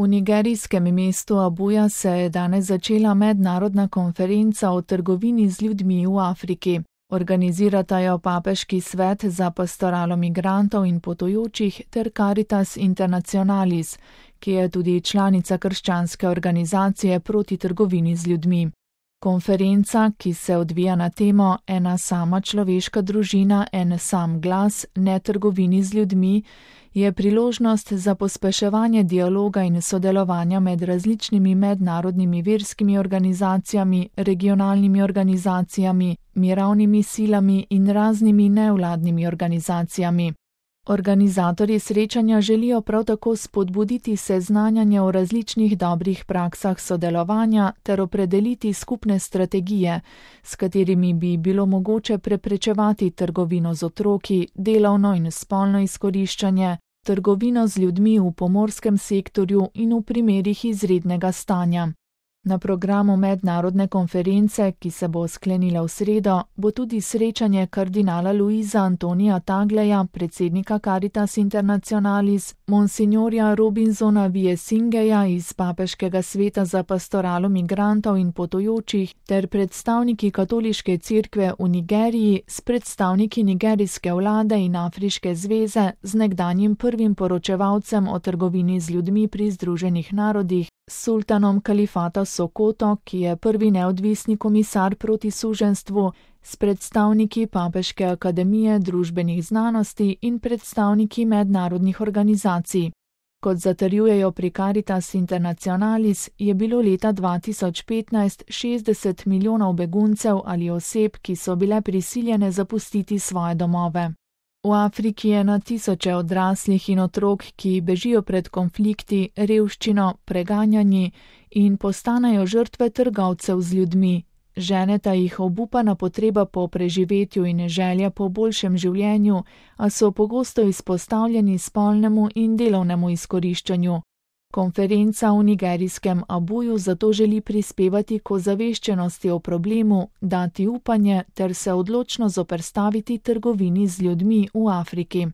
V nigerijskem mestu Abuja se je danes začela mednarodna konferenca o trgovini z ljudmi v Afriki. Organizirata jo Papeški svet za pastoralo migrantov in potujočih ter Caritas Internationalis, ki je tudi članica krščanske organizacije proti trgovini z ljudmi. Konferenca, ki se odvija na temo Ena sama človeška družina, en sam glas, ne trgovini z ljudmi, je priložnost za pospeševanje dialoga in sodelovanja med različnimi mednarodnimi verskimi organizacijami, regionalnimi organizacijami, mirovnimi silami in raznimi nevladnimi organizacijami. Organizatorji srečanja želijo prav tako spodbuditi seznanjanje o različnih dobrih praksah sodelovanja ter opredeliti skupne strategije, s katerimi bi bilo mogoče preprečevati trgovino z otroki, delovno in spolno izkoriščanje, trgovino z ljudmi v pomorskem sektorju in v primerih izrednega stanja. Na programu mednarodne konference, ki se bo sklenila v sredo, bo tudi srečanje kardinala Luisa Antonija Tagleja, predsednika Caritas Internationalis, monsignorja Robinsona Viesingeja iz Papeškega sveta za pastoralo migrantov in potujočih ter predstavniki katoliške cerkve v Nigeriji s predstavniki nigerijske vlade in Afriške zveze z nekdanjim prvim poročevalcem o trgovini z ljudmi pri Združenih narodih, sultanom kalifata Sokoto, ki je prvi neodvisni komisar proti suženjstvu, s predstavniki Papeške akademije družbenih znanosti in predstavniki mednarodnih organizacij. Kot zatrjujejo pri Caritas Internationalis, je bilo leta 2015 60 milijonov beguncev ali oseb, ki so bile prisiljene zapustiti svoje domove. V Afriki je na tisoče odraslih in otrok, ki bežijo pred konflikti, revščino, preganjanji in postanejo žrtve trgovcev z ljudmi. Ženeta jih obupana potreba po preživetju in želja po boljšem življenju, a so pogosto izpostavljeni spolnemu in delovnemu izkoriščanju. Konferenca v nigerijskem Abuju zato želi prispevati k ozaveščenosti o problemu, dati upanje ter se odločno zoperstaviti trgovini z ljudmi v Afriki.